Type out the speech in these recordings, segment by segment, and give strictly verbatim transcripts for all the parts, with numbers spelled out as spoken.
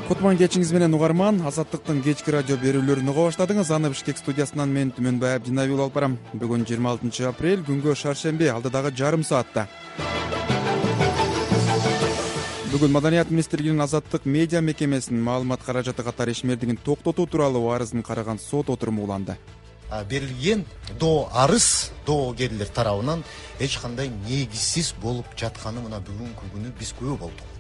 Кутман кечиңиз менен угарман. Азаттыктын кечки радио берүүлөрүн уга баштадыңыз. Аны Бишкек студиясынан мен Түмөнбай Абдинаби алып барам. Бүгүн жыйырма алтынчы апрель, күнгө шаршемби, алдыдагы жарым саатта. Бүгүн Маданият министрлигинин Азаттык медиа мекемесинин маалымат каражаты катары ишмердигин токтотуу тууралуу арызын караган сот отуруму уланды. Берилген доо арыз доогерлер тарабынан эч кандай негизсиз болуп жатканы мына бүгүнкү күнү биз күбө болдук.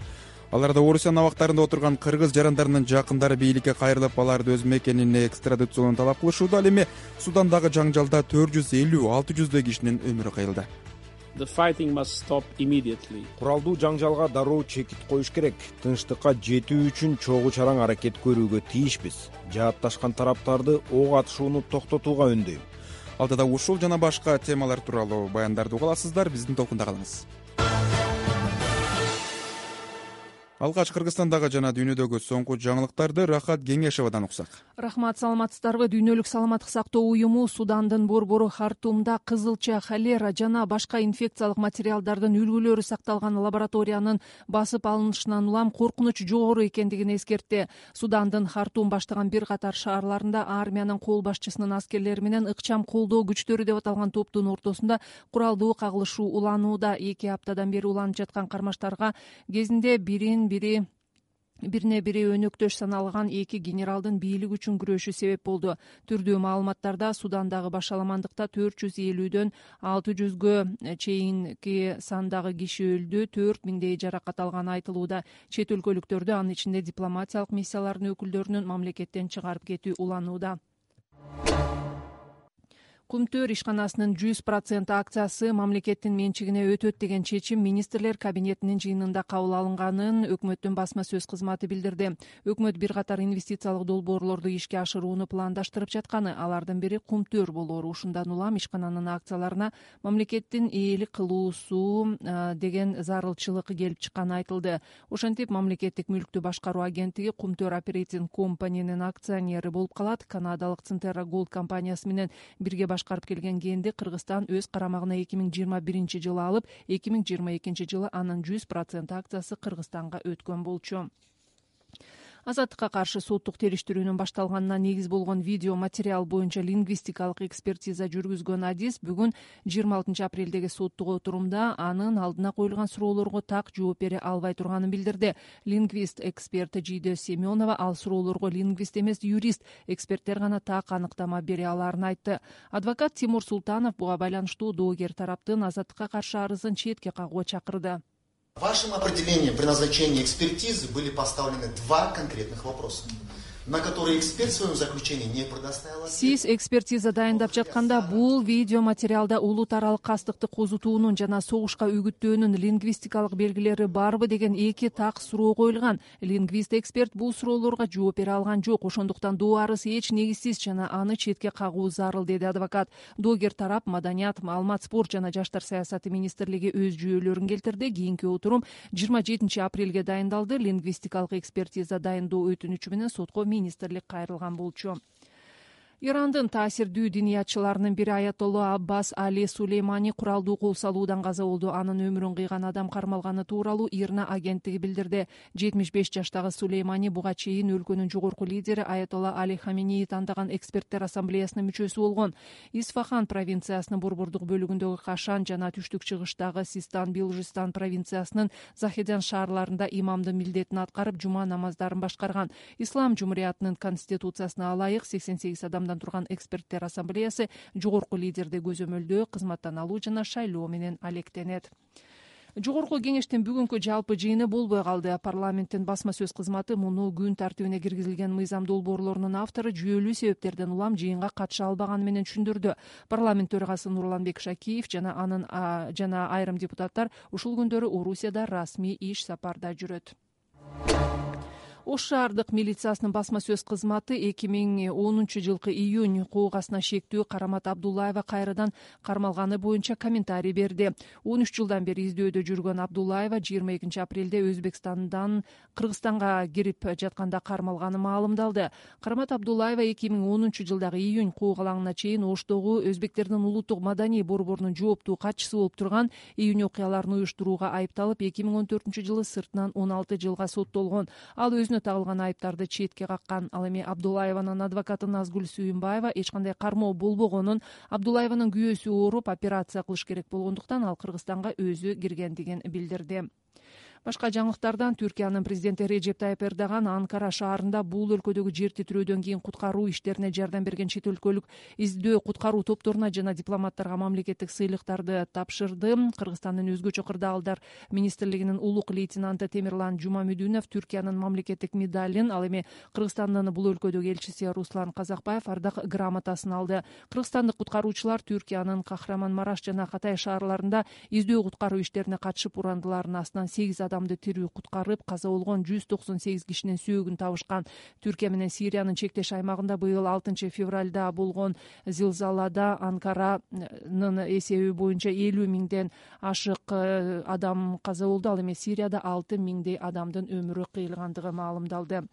Аларда Орусиянын абактарында отурган кыргыз жарандарынын жакындары бийликке кайрылып, аларды өз мекенине экстрадициялоону талап кылышууда. Ал эми Судандагы жаңжалда төрт жүз элүү алты жүздөй кишинин өмүрү кыйылды. Куралдуу жаңжалга дароо чекит коюш керек. Тынчтыкка жетүү үчүн чогуу чараң аракет көрүүгө тийишпиз. Жаатташкан тараптарды ок атышууну токтотууга үндөйм. Алдыда ушул жана башка темалар тууралуу баяндарды уга аласыздар. Биздин толкунда калыңыз. Алгач Кыргызстандагы жана дүйнөдөгү соңку жаңылыктарды Рахат Кеңешевадан уксак. Рахмат, саламатсыздарбы? Дүйнөлүк саламаттык сактоо уюму Судандын борбору Хартумда кызылча, холера жана башка инфекциялык материалдардын үлгүлөрү сакталган лабораториянын басып алынышынан улам коркунуч жогору экендигин эскертти. Судандын Хартум баштаган бир катар шаарларында армиянын кол башчысынын аскерлери менен ыкчам колдоо күчтөрү деп аталган топтун ортосунда куралдуу кагылышуу уланууда. Эки аптадан бери уланып жаткан кармаштарга кезинде бирин бири бирине бири өнөктөш саналган эки генералдын бийлик үчүн күрөшү себеп болду. Түрдүү маалыматтарда Судандагы башаламандыкта төрт жүз элүүдөн алты жүзгө чейинки сандагы киши өлдү, төрт миңдей жаракат алганы айтылууда. Чет өлкөлүктөрдү, анын ичинде дипломатиялык миссиялардын өкүлдөрүнүн мамлекеттен чыгарып кетүү уланууда. Кумтөр ишканасынын жүз процент акциясы мамлекеттин менчигине өтөт деген чечим министрлер кабинетинин жыйынында кабыл алынганын өкмөттүн басма сөз кызматы билдирди. Өкмөт бир катар инвестициялык долбоорлорду ишке ашырууну пландаштырып жатканы, алардын бири Кумтөр болору. Ушундан улам ишкананын акцияларына мамлекеттин ээлик кылуусу деген зарылчылык келип чыкканы айтылды. Ошентип, мамлекеттик мүлктү башкаруу агенттиги Кумтөр Operating Company'нин акционери болуп калат. Канадалык Centerra Gold компаниясы менен бирге башкарып келген кенди Кыргызстан өз карамагына эки миң жыйырма биринчи жылы алып, эки миң жыйырма экинчи жылы анын жүз процент акциясы Кыргызстанга өткөн болчу. Азаттыкка каршы соттук териштирүүнүн башталганына негиз болгон видео материал боюнча лингвистикалык экспертиза жүргүзгөн адис бүгүн жыйырма алтынчы апрелдеги соттук отурумда анын алдына коюлган суроолорго так жооп бере албай турганын билдирди. Лингвист эксперт Жийде Семенова ал суроолорго лингвист эмес, юрист эксперттер гана так аныктама бере аларын айтты. Адвокат Тимур Султанов буга байланыштуу доогер тараптын Азаттыкка каршы арызын четке кагууга чакырды. Вашим определением при назначении экспертизы были поставлены два конкретных вопроса, на которые эксперт в своем заключении не предоставил. Сиз экспертиза дайындап жатканда бул видео материалда улут аралык кастыкты козутуунун жана согушка үгүттөөнүн лингвистикалык белгилери барбы деген эки так суроо коюлган. Лингвист эксперт бул суроолорго жооп бере алган жок. Ошондуктан доо арыз эч негизсиз жана аны четке кагуу зарыл, деди адвокат. Доогер тарап Маданият, маалымат, спорт жана жаштар саясаты министрлиги өз жүйөлөрүн келтирди. Кийинки отурум жыйырма жетинчи апрелге дайындалды. Лингвистикалык экспертиза дайындоо өтүнүчү менен сотко министрлик кайрылган болчу. Ирандын таасирдүү диниятчыларынын бири Аятолла Аббас Али Сулеймани куралдуу кол салуудан каза болду. Анын өмүрүн кыйган адам кармалганы тууралуу ИРНА агенттиги билдирди. жетимиш беш жаштагы Сулеймани буга чейин өлкөнүн жогорку лидери Аятолла Али Хаменеи тандаган эксперттер ассамблеясынын мүчөсү болгон. Исфахан провинциясынын борбордук бөлүгүндөгү Кашан жана түштүк чыгыштагы Систан, Билжистан провинциясынын Захедян шаарларында имамдын милдетин аткарып, жума намаздарын башкарган. Ислам жумуриятынын конституциясына ылайык сексен сегиз адам турган эксперттер ассамблеясы жогорку лидерди көзөмөлдөө, кызматтан алуу жана шайлоо менен алектенет. Жогорку кеңештин бүгүнкү жалпы жыйыны болбой калды. Парламенттин басма сөз кызматы муну күн тартибине киргизилген мыйзам долбоорлорунун автору жүйөлүү себептерден улам жыйынга катыша албаганы менен түшүндүрдү. Парламент төрагасы Нурланбек Шакиев жана анын жана айрым депутаттар ушул күндөрү Орусияда расмий иш сапарда жүрөт. Ош шаардык милициясынын басма сөз кызматы эки миң онунчу жылкы июнь куугасына шектүү Карамат Абдуллаева кайрадан кармалганы боюнча комментарий берди. он үч жылдан бери издөөдө жүргөн Абдуллаева жыйырма экинчи апрелде Өзбекстандан Кыргызстанга кирип жатканда кармалганы маалымдалды. Карамат Абдуллаева эки миң онунчу жылдагы июнь куугалаңына чейин Оштогу өзбектердин улуттук маданий борборунун жооптуу катчысы болуп турган. Июнь окуяларын уюштурууга айыпталып, эки миң он төртүнчү жылы сыртынан он алты жылга соттолгон. Ал өзүнө өздөрүнө тагылган айыптарды четке каккан. Ал эми Абдуллаеванын адвокаты Назгүл Сүйүнбаева эч кандай кармоо болбогонун, Абдуллаеванын күйөөсү ооруп операция кылыш керек болгондуктан ал Кыргызстанга өзү киргендигин билдирди. Башка жаңылыктардан Түркиянын президенти Режеп Тайып Эрдоган Анкара шаарында бул өлкөдөгү жер титирөөдөн кийин куткаруу иштерине жардам берген чет өлкөлүк издөө куткаруу топторуна жана дипломаттарга мамлекеттик сыйлыктарды тапшырды. Кыргызстандын өзгөчө кырдаалдар министрлигинин улук лейтенанты Темирлан Жумамүдүнов Түркиянын мамлекеттик медалин, ал эми Кыргызстандын бул өлкөдөгү элчиси Руслан Казакбаев ардак грамотасын алды. Кыргызстандык куткаруучулар Түркиянын Кахраманмараш жана Катай шаарларында издөө куткаруу иштерине катышып, урандылардын астынан сегиз адамды тирүү куткарып, каза болгон жүз токсон сегиз кишинин сөөгүн табышкан. Түркия менен Сириянын чектеш аймагында быйыл алтынчы февралда болгон зилзалада Анкаранын эсеби боюнча элүү миңден ашык адам каза болду. Ал эми Сирияда алты миңдей адамдын өмүрү кыйылгандыгы маалымдалды.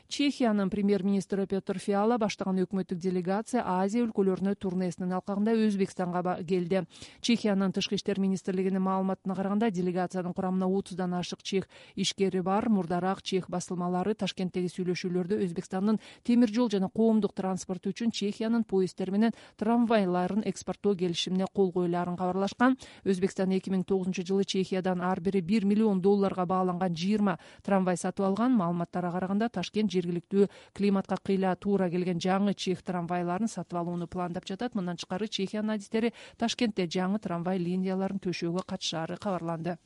Чехиянын премьер-министри Петр Фиала баштаган өкмөттүк делегация Азия өлкөлөрүнө турнесинин алкагында Өзбекстанга келди. Чехиянын тышкы иштер министрлигинин маалыматына караганда, делегациянын курамына отуздан ашык чех ишкери бар. Мурдараак чех басылмалары Ташкенттеги сүйлөшүүлөрдө Өзбекстандын темир жол жана коомдук транспорт үчүн Чехиянын поезддери менен трамвайларын экспорттоо келишимине кол коюлаарын кабарлашкан. Өзбекстан эки миң тогузунчу жылы Чехиядан ар бири бир миллион долларга бааланган жыйырма трамвай сатып алган. Маалыматтарга караганда, Ташкент жергиликтүү климатка кыйла туура келген жаңы чех трамвайларын сатып алууну пландап жатат. Мындан тышкары Чехиянын адистери Ташкентте жаңы трамвай линияларын төшөөгө катышаары кабарланды.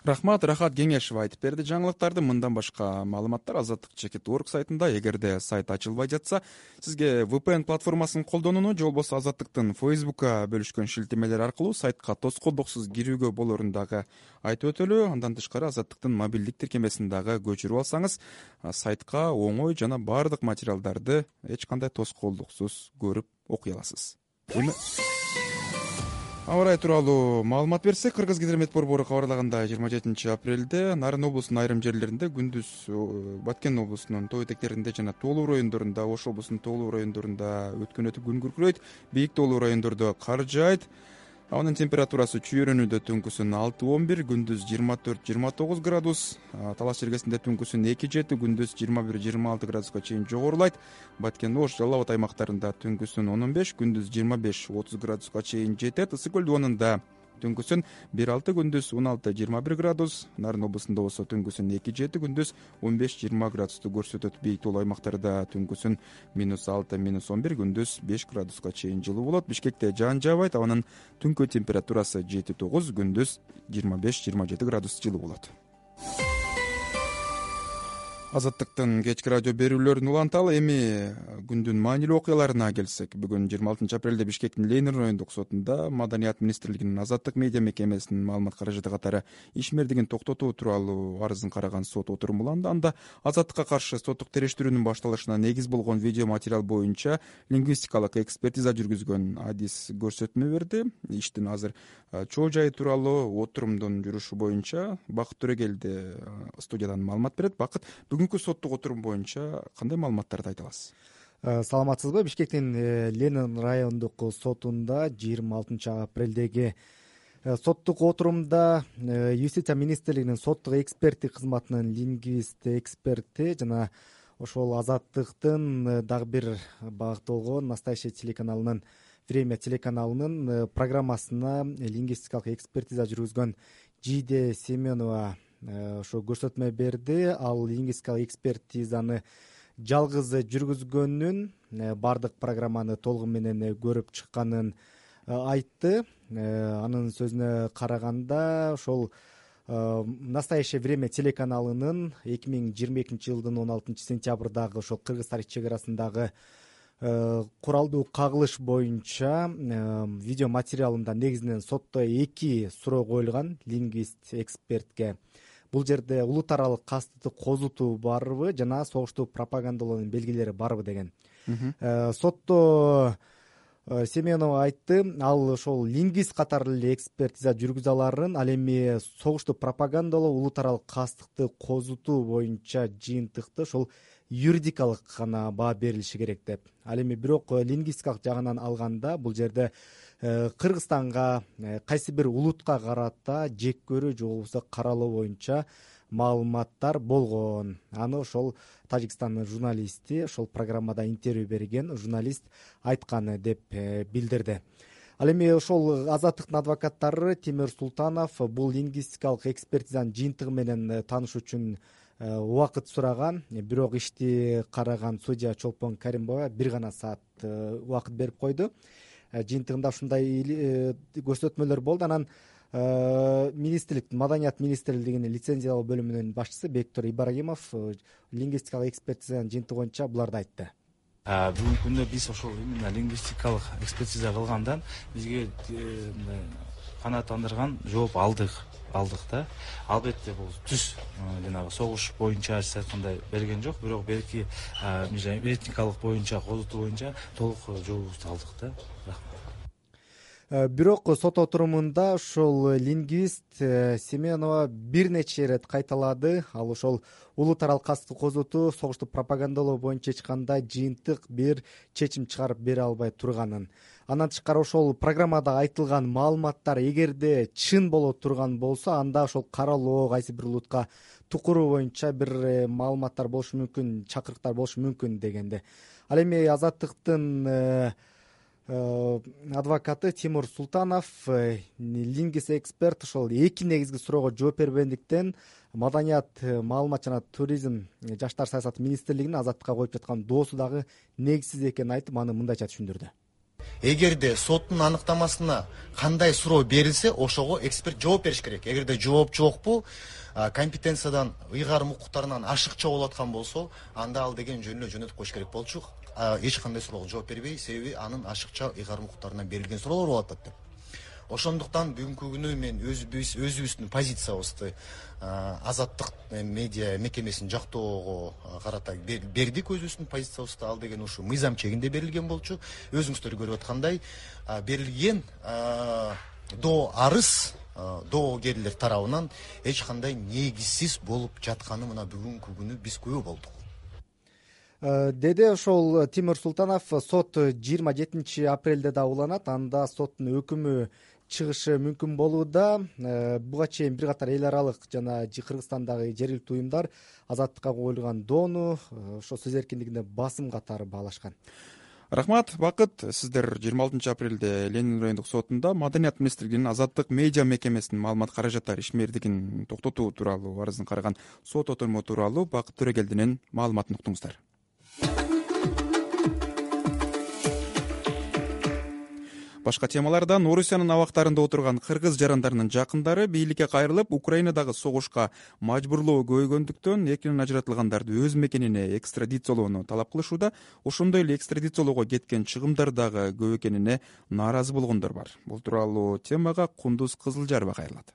Рахмат, Рахат Кеңешева айтып берди жаңылыктарды. Мындан башка маалыматтар азаттык чекит точка орг сайтында. Эгерде сайт ачылбай жатса, сизге ви пи эн платформасын колдонууну же болбосо Азаттыктын Фейсбукка бөлүшкөн шилтемелер аркылуу сайтка тоскоолдуксуз кирүүгө болорун дагы айтып өтөлү. Андан тышкары Азаттыктын мобилдик тиркемесин дагы көчүрүп алсаңыз, сайтка оңой жана баардык материалдарды эч кандай тоскоолдуксуз көрүп окуй аласыз. Эми аба ырайы тууралуу маалымат берсек, Кыргыз гидромет борбору кабарлагандай, жыйырма жетинчи апрелде Нарын облусунун айрым жерлеринде күндүз Баткен облусунун тоо этектеринде жана тоолуу райондорунда, Ош облусунун тоолуу райондорунда өткөн өтүп күн күркүрөйт. Бийик тоолуу райондордо кар жаайт. Анын температурасы чүйөрөнүүдө түнкүсүн алты он бир, күндүз жыйырма төрт жыйырма тогуз градус. Талаш Чергесинде түнкүсүн эки жети, күндүз жыйырма бир жыйырма алты градуска чейин жогорулайт. Баткен, Ош, Жалал Абад аймактарында түнкүсүн он он беш, күндүз жыйырма беш отуз градуска чейин жетет. Ысык көл дубанында түнкүсүн бир алты, күндүз он алты жыйырма бир градус. Нарын облусунда болсо түнкүсүн эки жети, күндүз он беш жыйырма градусту көрсөтөт. Бийик тоолуу аймактарда түнкүсүн минус алты минус он бир, күндүз беш градуска чейин жылуу болот. Бишкекте жаан жаабайт, абанын түнкү температурасы жети тогуз, күндүз жыйырма беш жыйырма жети градус жылуу болот. Азаттыктын кечки радио берүүлөрүн уланталы. Эми күндүн маанилүү окуяларына келсек, бүгүн жыйырма алтынчы апрелде Бишкектин Ленин райондук сотунда Маданият министрлигинин Азаттык медиа мекемесинин маалымат каражаты катары ишмердигин токтотуу тууралуу арызын караган сот отуруму уланды. Анда Азаттыкка каршы соттук териштирүүнүн башталышына негиз болгон видео материал боюнча лингвистикалык экспертиза жүргүзгөн адис көрсөтмө берди. Иштин азыр чоо жайы тууралуу отурумдун жүрүшү боюнча Бакыт Төрөгелди студиядан маалымат берет. Бакыт, бүгүнкү соттук отурум боюнча кандай маалыматтарды айта аласыз? Саламатсызбы? Бишкектин Ленин райондук сотунда жыйырма алтынчы апрелдеги соттук отурумда Юстиция министрлигинин соттук эксперттик кызматынын лингвист эксперти жана ошол Азаттыктын дагы бир багыты болгон Настоящее телеканалынын Время телеканалынын программасына лингвистикалык экспертиза жүргүзгөн Жиде Семенова ошо көрсөтмө берди. Ал лингвистикалык экспертизаны жалгыз жүргүзгөнүн, баардык программаны толугу менен көрүп чыкканын айтты. Анын сөзүнө караганда, ошол Настоящее время телеканалынын эки миң жыйырма экинчи жылдын он алтынчы сентябрдагы ошол Кыргыз-Тарих чек арасындагы куралдуу кагылыш боюнча видео материалында негизинен сотто эки суроо коюлган лингвист экспертке. Бул жерде улут аралык кастыкты козутуу барбы жана согушту пропагандалоонун белгилери барбы деген. Сотто Семенова айтты, ал ошол лингвист катары эле экспертиза жүргүзө аларын, ал эми согушту пропагандалоо, улут аралык кастыкты козутуу боюнча жыйынтыкты ошол юридикалык гана баа берилиши керек деп. Ал эми бирок лингвистикалык жагынан алганда бул жерде Кыргызстанга, кайсы бир улутка карата жек көрүү же болбосо каралоо боюнча маалыматтар болгон. Аны ошол Тажикстандын журналисти, ошол программада интервью берген журналист айткан деп билдирди. Ал эми ошол Азаттыктын адвокаттары Тимур Султанов бул лингвистикалык экспертизанын жыйынтыгы менен таанышуу үчүн убакыт сураган, бирок ишти караган судья Чолпон Каримбаева бир гана саат убакыт берип койду. Жыйынтыгында ушундай көрсөтмөлөр болду. Анан министрлик, Маданият министрлигинин лицензиялоо бөлүмүнүн башчысы Бектур Ибрагимов лингвистикалык экспертизанын жыйынтыгы боюнча буларды айтты. Бүгүнкү күндө биз ошол именно лингвистикалык экспертиза кылгандан бизге канааттандырган жооп алдык алдык да. Албетте бул түз жанагы согуш боюнча сиз айткандай берген жок, бирок белки этникалык боюнча, козутуу боюнча толук жообубузду алдык да. Бирок сот отурумунда ошол лингвист Семенова бир нече ирет кайталады. Ал ошол улут аралык кастык козутуу, согушту пропагандалоо боюнча эч кандай жыйынтык бир чечим чыгарып бере албай турганын. Андан тышкары ошол программада айтылган маалыматтар эгерде чын боло турган болсо, анда ошол каралоо, кайсы бир улутка тукуруу боюнча бир маалыматтар болушу мүмкүн, чакырыктар болушу мүмкүн дегенде. Ал эми Азаттыктын адвокаты Тимур Султанов, лингвист эксперт, ошол эки негизги суроого жооп бербегендиктен Маданият, маалымат жана туризм, жаштар саясаты министрлигинин Азаттыкка коюп жаткан доосу дагы негизсиз экенин айтып, аны мындайча түшүндүрдү. Эгерде соттун аныктамасына кандай суроо берилсе, ошого эксперт жооп бериш керек. Эгерде жооп жокпу, компетенциядан, ыйгарым укуктарынан ашыкча болуп аткан болсо, анда ал деген жөнүнө жөнөтүп коюш керек болчу. Эч кандай суроого жооп бербей, себеби анын ашыкча ыйгарым укуктарынан берилген суроолор болуп атат деп. Ошондуктан бүгүнкү күнү мен өзүбүз өзүбүздүн позициябызды Азаттык медиа мекемесин жактоого карата бердик. Өзүбүздүн позициябызды ал деген ушу мыйзам чегинде берилген болчу. Өзүңүздөр көрүп аткандай берилген доо арыз доогерлер тарабынан эч кандай негизсиз болуп жатканы мына бүгүнкү күнү биз күбө болдук. Деди ошол Тимур Султанов. Сот жыйырма жетинчи апрелде да уланат. Анда соттун өкүмү чыгышы мүмкүн болууда. Буга чейин бир катар эл аралык жана Кыргызстандагы жергиликтүү уюмдар Азаттыкка коюлган доону ошо сөз эркиндигине басым катары баалашкан. Рахмат, Бакыт. Сиздер жыйырма алтынчы апрелде Ленин райондук сотунда Маданият министрлигинин Азаттык медиа мекемесинин маалымат каражаттары ишмердигин токтотуу тууралуу арызын караган сот отуруму тууралуу Бакыт Төрөгелдинин маалыматын уктуңуздар. Башка темалардан Орусиянын абактарында отурган кыргыз жарандарынын жакындары бийликке кайрылып, Украинадагы согушка мажбурлоо көбөйгөндүктөн эркинен ажыратылгандарды өз мекенине экстрадициялоону талап кылышууда. Ошондой эле экстрадициялоого кеткен чыгымдар дагы көп экенине нааразы болгондор бар. Бул тууралуу темага Кундуз Кызылжарова кайрылат.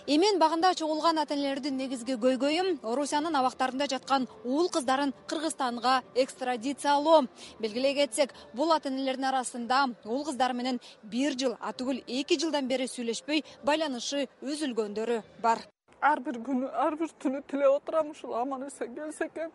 Эмен багында чогулган ата-энелердин негизги көйгөйү Орусиянын абактарында жаткан уул кыздарын Кыргызстанга экстрадициялоо. Белгилей кетсек, бул ата-энелердин арасында уул кыздары менен бир жыл, атүгүл эки жылдан бери сүйлөшпөй байланышы үзүлгөндөрү бар. Ар бир күнү, ар бир түнү тилеп отурам ушул аман эсен келсе экен.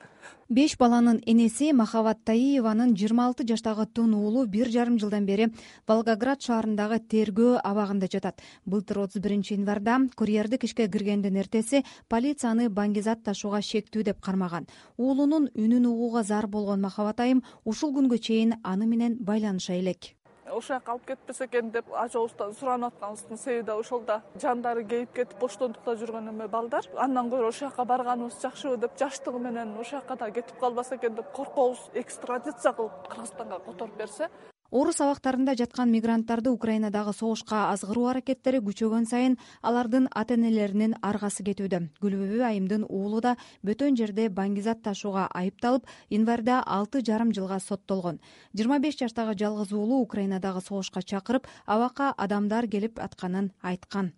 Беш баланын энеси Махабат Таиеванын жыйырма алты жаштагы тун уулу бир жарым жылдан бери Волгоград шаарындагы тергөө абагында жатат. Былтыр отуз биринчи январда курьердик ишке киргендин эртеси полицияны баңгизат ташууга шектүү деп кармаган. Уулунун үнүн угууга зар болгон Махабат айым ушул күнгө чейин аны менен байланыша элек. Ошол жака алып кетпесе экен деп ажообуздан суранып атканыбыздын себеби да ошол да. Жандары кейип кетип боштондукта жүргөн эме балдар. Андан көрө ошол жака барганыбыз жакшыбы деп, жаштыгы менен ошол жака да кетип калбаса экен деп коркобуз. Экстрадиция кылып Кыргызстанга которуп берсе. Орус абактарында жаткан мигранттарды Украинадагы согушка азгыруу аракеттери күчөгөн сайын алардын ата-энелеринин аргасы кетүүдө. Гүлбүбү айымдын уулу да бөтөн жерде баңгизат ташууга айыпталып, январда алты жарым жылга соттолгон. жыйырма беш жаштагы жалгыз уулу Украинадагы согушка чакырып, абакка адамдар келип атканын айткан.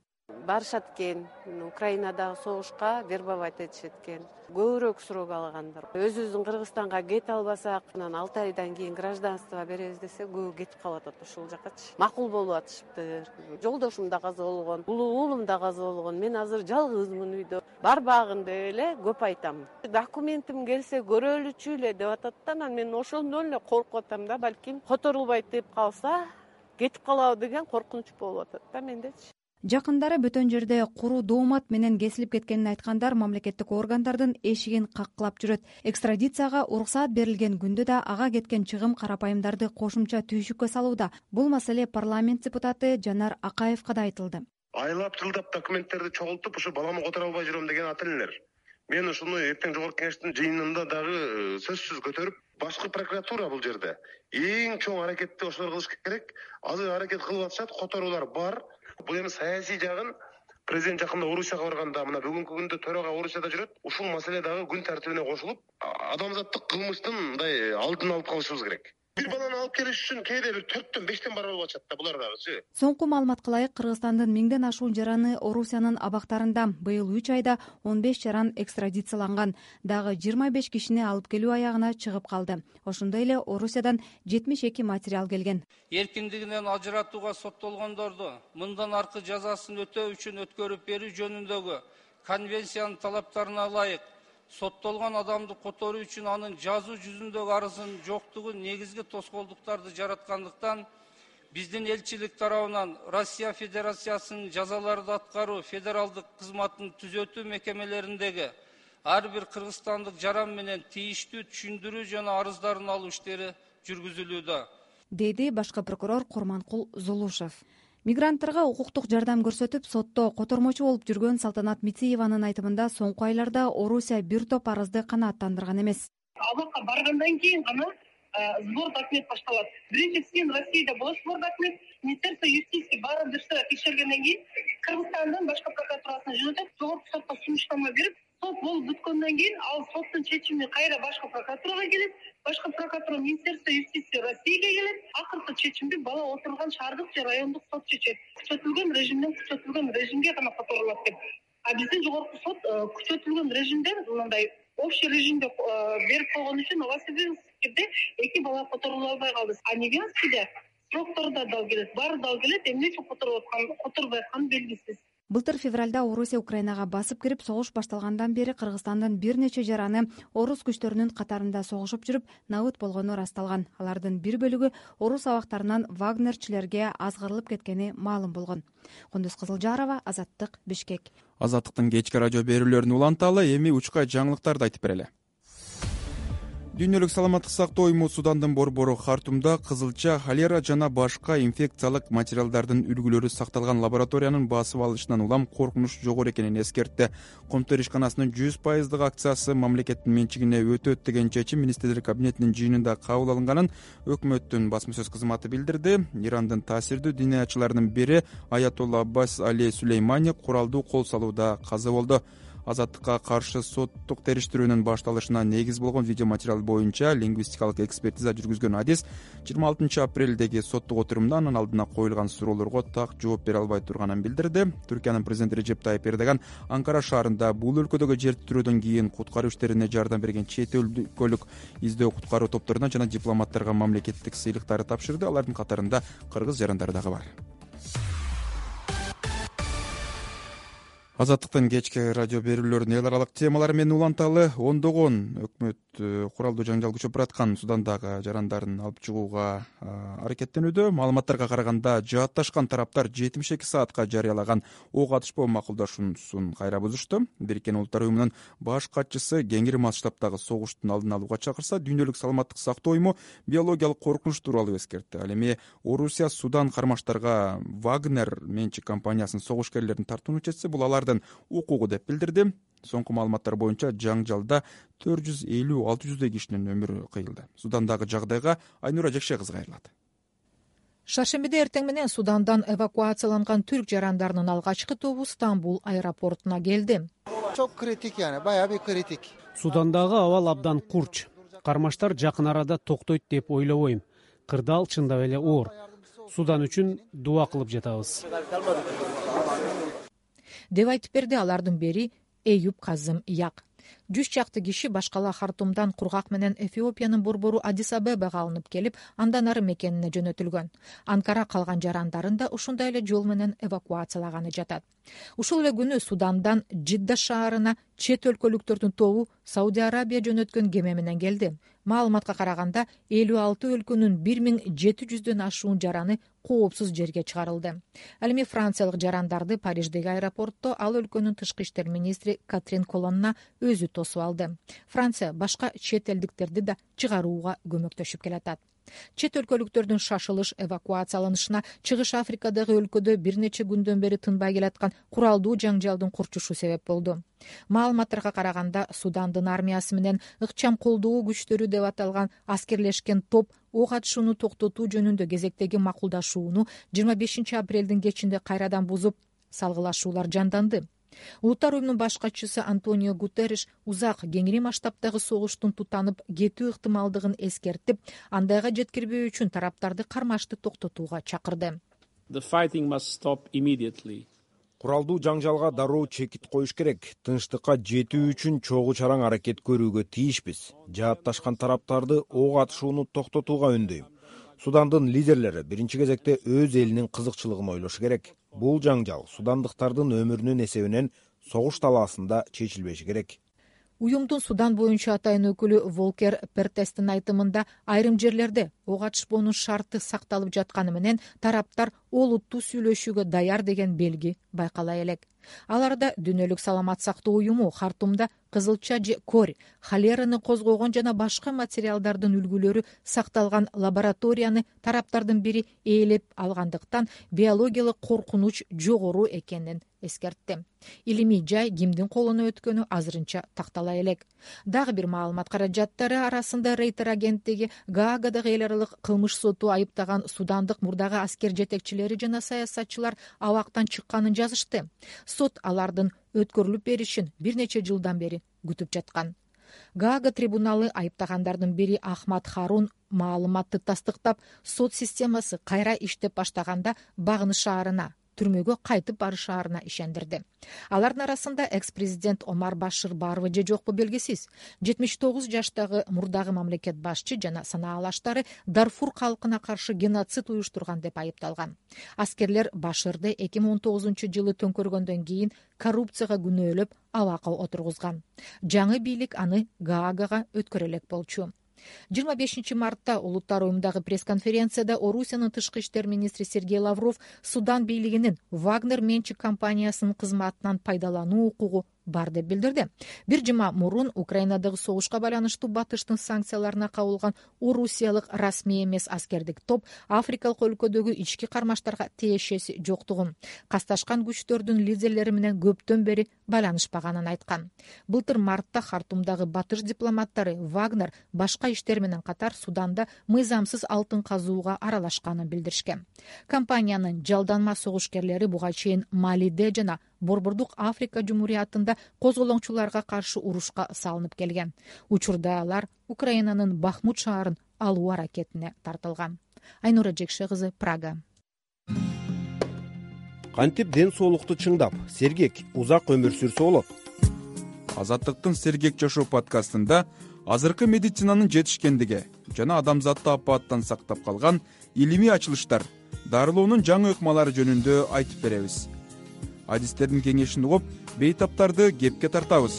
Барышат экен, Украинадагы согушка вербовать этишет экен. Көбүрөөк срок алгандар. Өзүбүздүн Кыргызстанга кете албасак, анан алты айдан кийин гражданство беребиз десе, көбү кетип калып атат ушул жакачы. Макул болуп атышыптыр. Жолдошум да каза болгон, уулум да каза болгон. Мен азыр жалгызмын үйдө. Барбагын деп эле көп айтам. Документим келсе көрөлүчү эле деп атат да, анан мен ошондон эле коркуп атам да, балким которулбайт деп калса, кетип калабы деген коркунуч болуп атат да мендечи. Жакындары бөтөн жерде куру доомат менен кесилип кеткенин айткандар мамлекеттик органдардын эшигин каккылап жүрөт. Экстрадицияга уруксаат берилген күндө да ага кеткен чыгым карапайымдарды кошумча түйшүккө салууда. Бул маселе парламент депутаты Жанар Акаевка да айтылды. Айлап жылдап документтерди чогултуп, ушу баламы которо албай жүрөм деген ат элелер. Мен ушуну эртең жогорку кеңештин жыйынында дагы сөзсүз көтөрүп, башкы прокуратура бул жерде эң чоң аракетти ошолор кылыш керек. Азыр аракет кылып атышат, которуулар бар. Бул эми саясий жагын президент жакында Орусияга барганда, мына бүгүнкү күндө төрага Орусияда жүрөт. Ушул маселе дагы күн тартибине кошулуп, адамзаттык кылмыштын мындай алдын алып калышыбыз керек. Бир баланы алып келиш үчүн кээде бир төрттөн бештен барып алып атышат да булар дагычы. Соңку маалыматка ылайык Кыргызстандын миңден ашуун жараны Орусиянын абактарында. Быйыл үч айда он беш жаран экстрадицияланган. Дагы жыйырма беш кишини алып келүү аягына чыгып калды. Ошондой эле Орусиядан жетимиш эки материал келген. Эркиндигинен ажыратууга соттолгондорду мындан аркы жазасын өтөө үчүн өткөрүп берүү жөнүндөгү конвенциянын талаптарына ылайык соттолгон адамды которуу үчүн анын жазуу жүзүндөгү арызынын жоктугу негизги тоскоолдуктарды жараткандыктан биздин элчилик тарабынан Россия Федерациясынын жазаларды аткаруу федералдык кызматтын түзөтүү мекемелериндеги ар бир кыргызстандык жаран менен тийиштүү түшүндүрүү жана арыздарын алуу иштери жүргүзүлүүдө, деди башкы прокурор Курманкул Зулушев. Мигранттарга укуктук жардам көрсөтүп, сотто котормочу болуп жүргөн Салтанат Мицееванын айтымында соңку айларда Орусия бир топ арызды канааттандырган эмес. Абакка баргандан кийин гана сбор документ башталат. Биринчи сен Россияда болуш сбор документ, Министерство юстиции баарын дыштыра текшергенден кийин Кыргызстандын башкы прокуратурасына жөнөтөт, жогорку сотко сунуштама берип, сот болуп бүткөндөн кийин ал соттун чечими кайра башкы прокуратурага келет, башкы прокуратура Министерство юстиции Россияга келет, акыркы чечимди бала отурган шаардык же райондук сот чечет. Күчөтүлгөн режимден күчөтүлгөн режимге гана которулат деп. А биздин жогорку сот күчөтүлгөн режимден мындай общий режимде берип койгон үчүн Новосибирскиде эки бала которулуп албай калды. А Невянскийде сроктор да дал келет, баары дал келет, эмне үчүн которуп аткан, которбой атканы белгисиз. Былтыр февралда Орусия Украинага басып кирип, согуш башталгандан бери Кыргызстандын бир нече жараны орус күчтөрүнүн катарында согушуп жүрүп, набыт болгону ырасталган. Алардын бир бөлүгү орус абактарынан вагнерчилерге азгырылып кеткени маалым болгон. Кундуз Кызылжарова, Азаттык, Бишкек. Азаттыктын кечки радио берүүлөрүн уланталы, эми учка жаңылыктарды айтып берели. Дүйнөлүк саламаттык сактоо уюму Судандын борбору Хартумда кызылча, холера жана башка инфекциялык материалдардын үлгүлөрү сакталган лабораториянын басып алышынан улам коркунуч жогору экенин эскертти. Коомдук ишканасынын жүз пайыздык акциясы мамлекеттин менчигине өтөт деген чечим министрлер кабинетинин жыйынында кабыл алынганын өкмөттүн басма сөз кызматы билдирди. Ирандын таасирдүү диниячыларынын бири Аятолла Аббас Али Сулеймани куралдуу кол салууда каза болду. Азаттыкка каршы соттук териштирүүнүн башталышына негиз болгон видеоматериал боюнча лингвистикалык экспертиза жүргүзгөн адис жыйырма алтынчы апрелдеги соттук отурумда анын алдына коюлган суроолорго так жооп бере албай турганын билдирди. Түркиянын президенти Режеп Тайип Эрдоган Анкара шаарында бул өлкөдөгү жер титирөөдөн кийин куткаруу иштерине жардам берген чет өлкөлүк издөө куткаруу топторуна жана дипломаттарга мамлекеттик сыйлыктарды тапшырды. Алардын катарында кыргыз жарандары дагы бар. Азаттыктын кечки радио берүүлөрүнүн эл аралык темалары менен уланталы. Ондогон өкмөт куралдуу жаңжал күчөп бараткан Судандагы жарандарын алып чыгууга аракеттенүүдө. Маалыматтарга караганда жаатташкан тараптар жетимиш эки саатка жарыялаган ок атышпоо макулдашуусун кайра бузушту. Бириккен Улуттар уюмунун баш катчысы кеңири масштабтагы согуштун алдын алууга чакырса, Дүйнөлүк саламаттык сактоо уюму биологиялык коркунуч тууралуу эскертти. Ал эми Орусия Судан кармаштарга Вагнер менчик компаниясынын согушкерлерин тартууну чечсе, бул алардын укугу деп билдирди. Соңку маалыматтар боюнча жаңжалда төрт жүз элүү алты жүздөй кишинин өмүрү кыйылды. Судандагы жагдайга Айнура Жекше кызы кайрылат. Шаршембиде эртең менен Судандан эвакуацияланган түрк жарандарынын алгачкы тобу Стамбул аэропортуна келди. Çok kritik yani, bayağı bir kritik. Судандагы абал абдан курч. Кармаштар жакын арада токтойт деп ойлобойм. Кырдаал чындап эле оор. Судан үчүн дуа кылып жатабыз. Деп айтып берди алардын бири Эюп Казым Як. жүз чакты киши башкала Хартумдан кургак менен Эфиопиянын борбору Адис Абебага алынып келип, андан ары мекенине жөнөтүлгөн. Анкара калган жарандарын да ушундай эле жол менен эвакуациялаганы жатат. Ушул эле күнү Судандан Жидда шаарына чет өлкөлүктөрдүн тобу Сауди Арабия жөнөткөн кеме менен келди. Маалыматка караганда элүү алты өлкөнүн бир миң жети жүздөн ашуун жараны коопсуз жерге чыгарылды. Ал эми франциялык жарандарды Париждеги аэропортто ал өлкөнүн тышкы иштер министри Катрин Колонна өзү тосуп алды. Франция башка чет элдиктерди да чыгарууга көмөктөшүп келатат. Чет өлкөлүктөрдүн шашылыш эвакуацияланышына Чыгыш Африкадагы өлкөдө бир нече күндөн бери тынбай келаткан куралдуу жаңжалдын курчушу себеп болду. Маалыматтарга караганда Судандын армиясы менен ыкчам колдоо күчтөрү деп аталган аскерлешкен топ ок атышууну токтотуу жөнүндө кезектеги макулдашууну жыйырма бешинчи апрелдин кечинде кайрадан бузуп, салгылашуулар жанданды. Улуттар уюмунун баш катчысы Антонио Гутерриш узак кеңири масштабдагы согуштун тутанып кетүү ыктымалдыгын эскертип, андайга жеткирбөө үчүн тараптарды кармашты токтотууга чакырды. Куралдуу жаңжалга дароо чекит коюш керек. Тынчтыкка жетүү үчүн чогуу чараң аракет көрүүгө тийишпиз. Жаатташкан тараптарды ок атышууну токтотууга үндөйм. Судандын лидерлери биринчи кезекте өз элинин кызыкчылыгын ойлошу керек. Бул жаңжал судандыктардын өмүрүнүн эсебинен согуш талаасында чечилбеши керек. Уюмдун Судан боюнча атайын өкүлү Волкер Пертестин айтымында айрым жерлерде ок атышпоонун шарты сакталып жатканы менен тараптар олуттуу сүйлөшүүгө даяр деген белги байкала элек. Аларда Дүйнөлүк саламат сактоо уюму Хартумда кызылча же кор, холераны козгогон жана башка материалдардын үлгүлөрү сакталган лабораторияны тараптардын бири ээлеп алгандыктан биологиялык коркунуч жогору экенин эскертти. Илимий жай кимдин колуна өткөнү азырынча тактала элек. Дагы бир маалымат каражаттары арасында Рейтер агенттиги Гаагадагы эл аралык кылмыш соту айыптаган судандык мурдагы аскер жетекчилери жана саясатчылар абактан чыкканын жазышты. Сот алардын өткөрүлүп беришин бир нече жылдан бери күтүп жаткан. Гаага трибуналы айыптагандардын бири Ахмад Харун маалыматты тастыктап, сот системасы кайра иштеп баштаганда Багыныш шаарына, түрмөгө кайтып барышаарына ишендирди. Алардын арасында экс-президент Омар Башир барбы же жокпу белгисиз. жетимиш тогуз жаштагы мурдагы мамлекет башчы жана санаалаштары Дарфур калкына каршы геноцид уюштурган деп айыпталган. Аскерлер Баширди эки миң он тогузунчу жылы төңкөргөндөн кийин коррупцияга күнөөлөп абакка отургузган. Жаңы бийлик аны Гаагага өткөрө элек болчу. жыйырма бешинчи мартта Улуттар уюмундагы пресс-конференцияда Орусиянын тышкы иштер министри Сергей Лавров Судан бийлигинин Вагнер менчик компаниясынын кызматынан пайдалануу укугу бар деп билдирди. Бир жыма мурун Украинадагы согушка байланыштуу батыштын санкцияларына кабылган орусиялык расмий эмес аскердик топ Африкалык өлкөдөгү ички кармаштарга тиешеси жоктугун, касташкан күчтөрдүн лидерлери менен көптөн бери байланышпаганын айткан. Былтыр мартта Хартумдагы батыш дипломаттары Вагнер башка иштер менен катар Суданда мыйзамсыз алтын казууга аралашканын билдиришкен. Компаниянын жалданма согушкерлери буга чейин Малиде жана Борбордук Африка Жумуриятында козголоңчуларга каршы урушка салынып келген. Учурда алар Украинанын Бахмут шаарын алуу аракетине тартылган. Айнура Жекше кызы, Прага. Кантип ден соолукту чыңдап, сергек, узак өмүр сүрсө болот? Азаттыктын Сергек жашоо подкастында азыркы медицинанын жетишкендиги жана адамзатты апааттан сактап калган илимий ачылыштар, дарылоонун жаңы ыкмалары жөнүндө айтып беребиз. Адистердин кеңешин угуп, бейтаптарды кепке тартабыз.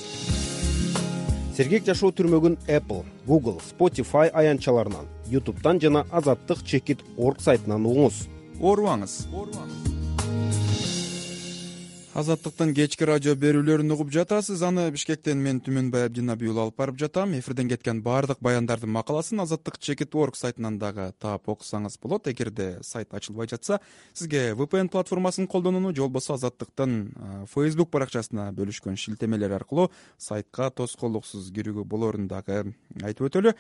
Сергек жашоо түрмөгүн Apple, Google, Spotify аянтчаларынан, YouTube'дан жана азаттык чекит орг сайтынан угуңуз. Оорубаңыз. Азаттыктын кечки радио берүүлөрүн угуп жатасыз. Аны Бишкектен мен Түмөнбай Абдинабий уулу алып барып жатам. Эфирден кеткен баардык баяндардын макаласын азаттык чекит орг сайтынан дагы таап окусаңыз болот. Эгерде сайт ачылбай жатса, сизге ви пи эн платформасын колдонууну же болбосо Азаттыктын Facebook баракчасына бөлүшкөн шилтемелер аркылуу сайтка тоскоолдуксуз кирүүгө болоорун дагы айтып өтөлү.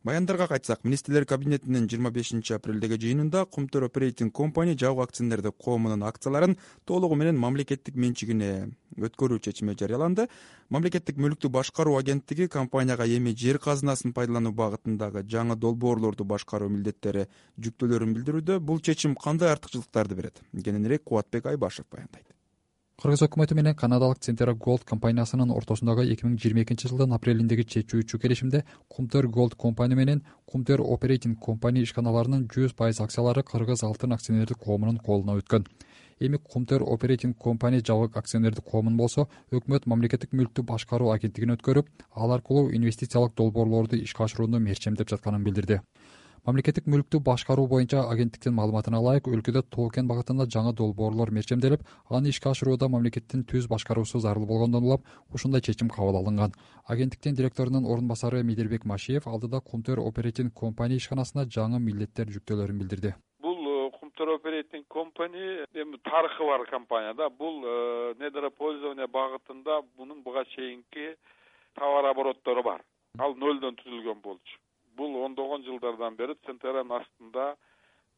Баяндарга кайтсак, министрлер кабинетинин жыйырма бешинчи апрелдеги жыйынында Кумтөр Operating Company жабык акционердик коомунун акцияларын толугу менен мамлекеттик менчигине өткөрүү чечими жарыяланды. Мамлекеттик мүлктү башкаруу агенттиги компанияга эми жер казынасын пайдалануу багытындагы жаңы долбоорлорду башкаруу милдеттери жүктөөлөрүн билдирүүдө. Бул чечим кандай артыкчылыктарды берет? Кененирээк Кубатбек Айбашев баяндайт. Кыргыз өкмөтү менен канадалык Centera Gold компаниясынын ортосундагы эки миң жыйырма экинчи жылдын апрелиндеги чечүүчү келишимде Kumter Gold Company менен Kumter Operating Company ишканаларынын жүз пайыз акциялары Кыргыз алтын акционердик коомунун колуна өткөн. Эми Kumter Operating Company жабык акционердик коомун болсо өкмөт мамлекеттик мүлктү башкаруу агенттигин өткөрүп, ал аркылуу инвестициялык долбоорлорду ишке ашырууну мерчемдеп жатканын билдирди. Мамлекеттик мүлктү башкаруу боюнча агенттиктин маалыматына ылайык өлкөдө токен багытында жаңы долбоорлор мерчемделип, аны ишке ашырууда мамлекеттин түз башкаруусу зарыл болгондон улам ушундай чечим кабыл алынган. Агенттиктин директорунун орун басары Медербек Машиев алдыда Kumter Operating Company ишканасына жаңы милдеттер жүктөөлөрүн билдирди. Бул Kumter Operating Company эми тарыхы бар компания да. Бул недропользование багытында мунун буга чейинки товар обороттору бар. Ал нөлдөн түзүлгөн болчу. Бул ондогон жылдардан бери Centera'нын астында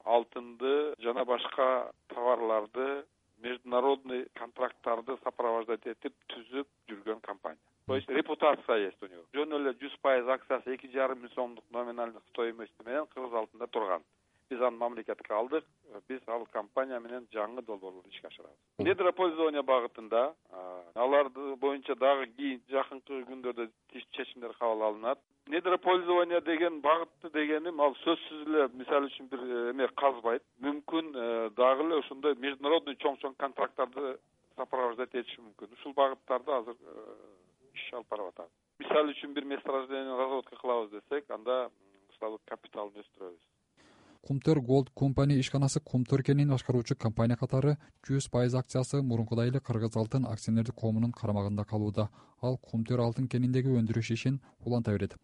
алтынды жана башка товарларды, международный контракттарды сопровождать этип түзүп жүргөн компания. То есть репутация есть у него. Жөн эле жүз пайыз акциясы эки жарым миң сомдук номиналдык стоимости менен Кыргыз алтында турган. Биз аны мамлекетке алдык. Биз ал компания менен жаңы долбоорлорду ишке ашырабыз. Недропользование багытында аларды боюнча дагы кийин жакынкы күндөрдө чечимдер кабыл алынат. Недропользование деген багытты дегеним ал сөзсүз эле мисалы үчүн бир эме казбайт. Мүмкүн дагы эле ошондой международный чоң-чоң контракттарды сопровождать этиши мүмкүн. Ушул багыттарда азыр иш алып барып атабыз. Мисалы үчүн бир месторождение разработка кылабыз десек, анда усталык капиталын өстүрөбүз. Kumter Gold Company ишканасы Kumter кенин башкаруучу компания катары жүз пайыз акциясы мурункудай эле Кыргыз алтын акционердик коомунун карамагында калууда. Ал Kumter алтын кениндеги өндүрүш ишин уланта берет.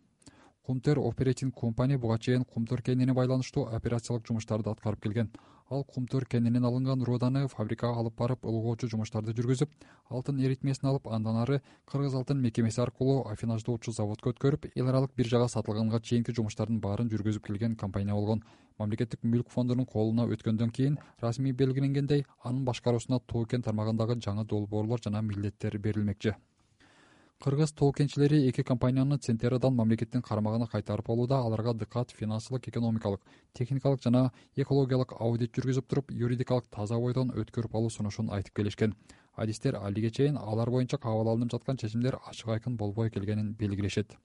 Kumter Operating Company буга чейин Kumter кенине байланыштуу операциялык жумуштарды аткарып келген. Ал Kumter кенинен алынган руданы фабрикага алып барып ылгоочу жумуштарды жүргүзүп, алтын эритмесин алып, андан ары Кыргыз алтын мекемеси аркылуу афинаждоочу заводко өткөрүп, эл аралык биржага сатылганга чейинки жумуштардын баарын жүргүзүп келген компания болгон. Мамлекеттик мүлк фондунун колуна өткөндөн кийин расмий белгиленгендей, анын башкаруусуна токен тармагындагы жаңы долбоорлор жана милдеттер берилмекчи. Кыргыз тоокенчилери эки компанияны Centera'дан мамлекеттин карамагына кайтарып алууда аларга дыкат финансылык, экономикалык, техникалык жана экологиялык аудит жүргүзүп туруп, юридикалык таза бойдон өткөрүп алуу сунушун айтып келишкен. Адистер алиге чейин алар боюнча кабыл алынып жаткан чечимдер ачык айкын болбой келгенин белгилешет.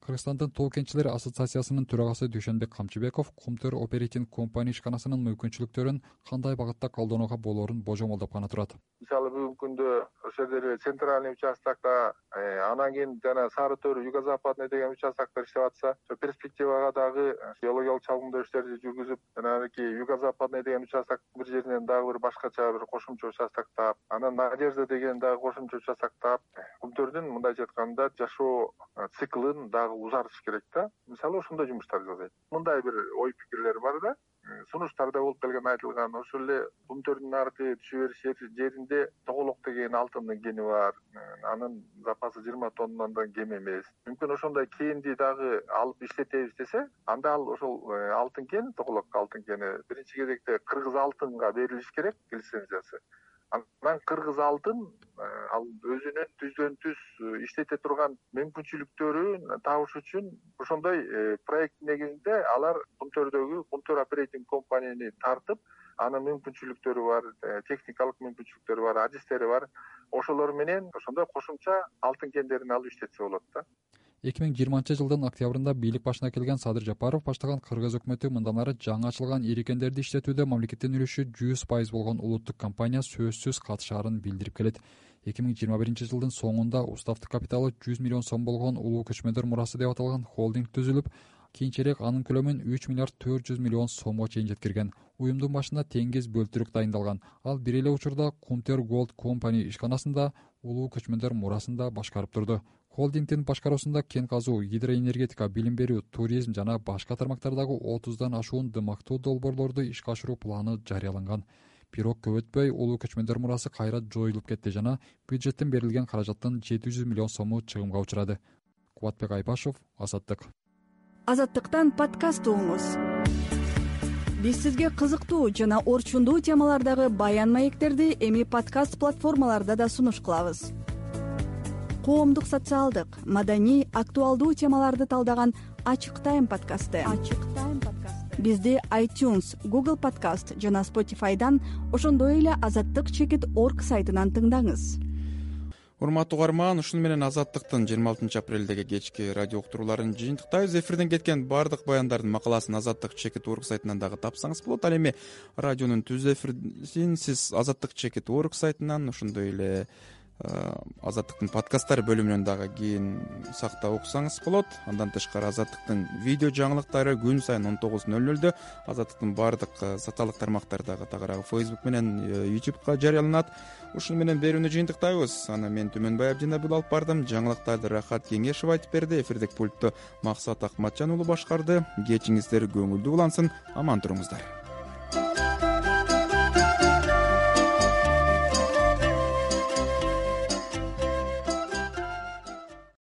Кыргызстандын тоокенчилер ассоциациясынын төрагасы Дүйшөнбек Камчыбеков Kumter Operating Company ишканасынын мүмкүнчүлүктөрүн кандай багытта колдонууга болоорун божомолдоп гана турат. Мисалы бүгүнкү күндө ошол жерде центральный участокто, анан кийин жана Сары Төр, Юго-Западный деген участоктор иштеп атса, перспективага дагы геологиялык чалгындоо иштерди жүргүзүп, жанагы Юго-Западный деген участок бир жеринен дагы бир башкача бир кошумча участок таап, анан Надежда деген дагы кошумча участок таап, Kumter'дин мындайча айтканда жашоо циклын дагы узартыш керек да. Мисалы ошондой жумуштар жасайт. Мындай бир ой пикирлер бар да. Сунуштарда болуп келген айтылган, ошол эле Kumter'дин аркы түшө бериш жеринде Тоголок деген алтындын кени бар. Анын запасы жыйырма тоннадан кем эмес. Мүмкүн ошондой кенди дагы алып иштетебиз десе, анда ал ошол алтын кен, Тоголок алтын кени биринчи кезекте Кыргыз алтынга берилиш керек лицензиясы. Анан Кыргыз алтын ал өзүнүн түздөн түз иштете турган мүмкүнчүлүктөрүн табыш үчүн ошондой проект негизинде алар Kumter'дөгү Kumter Operating Company'ни тартып, анын мүмкүнчүлүктөрү бар, техникалык мүмкүнчүлүктөрү бар, адистери бар. Ошолор менен ошондой кошумча алтын кендерин алып иштетсе болот да. эки миң жыйырманчы жылдын октябрында бийлик башына келген Садыр Жапаров баштаган Кыргыз өкмөтү мындан ары жаңы ачылган ири кендерди иштетүүдө мамлекеттин үлүшү жүз пайыз болгон улуттук компания сөзсүз катышаарын билдирип келет. эки миң жыйырма биринчи жылдын соңунда уставтык капиталы жүз миллион сом болгон улуу көчмөндөр мурасы деп аталган холдинг түзүлүп, кийинчерээк анын көлөмүн үч миллиард төрт жүз миллион сомго чейин жеткирген. Уюмдун башында теңиз бөлтүрүк дайындалган. Ал бир эле учурда Kumter Gold Company ишканасында улуу көчмөндөр мурасында башкарып турду. Холдингдин башкаруусунда кен казуу, гидроэнергетика, билим берүү, туризм жана башка тармактардагы отуздан ашуун дымактуу долбоорлорду ишке ашыруу планы жарыяланган. Бирок көп өтпөй улуу көчмөндөр мурасы кайра жоюлуп кетти жана бюджеттен берилген каражаттын жети жүз миллион сому чыгымга учурады. Кубатбек Айбашев, Азаттык. Азаттыктан подкаст угуңуз. Биз сизге кызыктуу жана орчундуу темалардагы баян маектерди эми подкаст платформаларда да сунуш кылабыз. Коомдук, социалдык, маданий, актуалдуу темаларды талдаган Ачык Тайм подкасты. Ачык Тайм подкасты. бизди iTunes, Google Podcast жана Spotify'дан, ошондой эле азаттык чекит орг сайтынан тыңдаңыз. Урматтуу угарман, ушуну менен Азаттыктын жыйырма алтынчы апрелдеги кечки радио уктурууларын жыйынтыктайбыз. Эфирден кеткен баардык баяндардын макаласын Азаттык чекит орг сайтынан дагы тапсаңыз болот. Ал эми радионун түз эфирин сиз Азаттык чекит орг сайтынан, ошондой эле Азаттыктын подкасттары бөлүмүнөн дагы кийин сактап окусаңыз болот. Андан тышкары Азаттыктын видео жаңылыктары күн сайын он тогуз ноль нолдо Азаттыктын баардык социалдык тармактары дагы тагыраагы Facebook менен YouTubeга жарыяланат. Ушуну менен берүүнү жыйынтыктайбыз. Аны мен Түмөнбай Абдинабыл алып бардым. Жаңылыктарды Рахат Кеңешев айтып берди. Эфирдик пультту Максат Акматжан уулу башкарды. Кечиңиздер көңүлдүү улансын. Аман туруңуздар.